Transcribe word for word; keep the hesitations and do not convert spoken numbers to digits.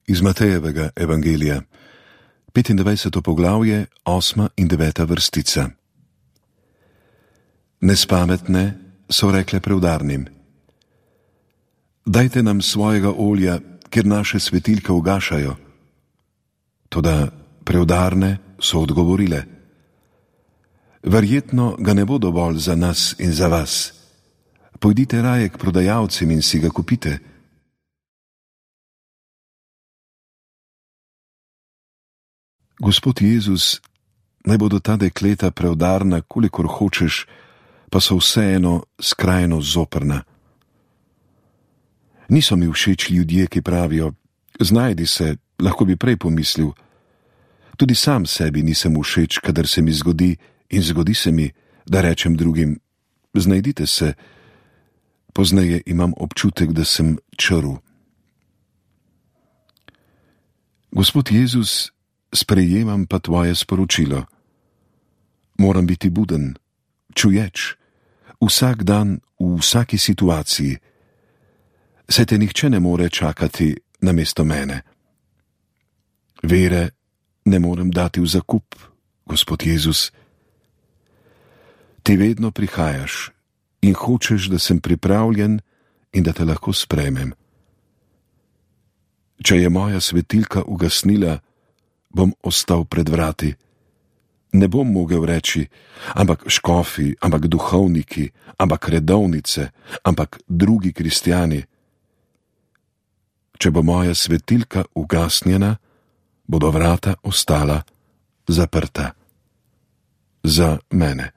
Iz Matejevega evangelija, petindvajseto poglavje, osma in deveta vrstica. Nespametne so rekle preudarnim: Dajte nam svojega olja, ker naše svetilke ugašajo. Toda preudarne so odgovorile: Verjetno ga ne bo dovolj za nas in za vas. Pojdite raje k prodajalcem in si ga kupite. Gospod Jezus, naj bodo ta dekleta preudarna, kolikor hočeš, pa so vseeno skrajno zoprna. Niso mi všeč ljudje, ki pravijo: znajdi se, lahko bi prej pomislil. Tudi sam sebi nisem všeč, kadar se mi zgodi, in zgodi se mi, da rečem drugim: znajdite se. Pozneje imam občutek, da sem črv. Gospod Jezus, sprejemam pa tvoje sporočilo. Moram biti buden, čuječ, vsak dan, v vsaki situaciji. Saj te nihče ne more čakati namesto mene. Vere ne morem dati v zakup, Gospod Jezus. Ti vedno prihajaš in hočeš, da sem pripravljen in da te lahko sprejmem. Če je moja svetilka ugasnila, bom ostal pred vrati. Ne bom mogel reči: ampak škofi, ampak duhovniki, ampak redovnice, ampak drugi kristjani. Če bo moja svetilka ugasnjena, bodo vrata ostala zaprta. Za mene.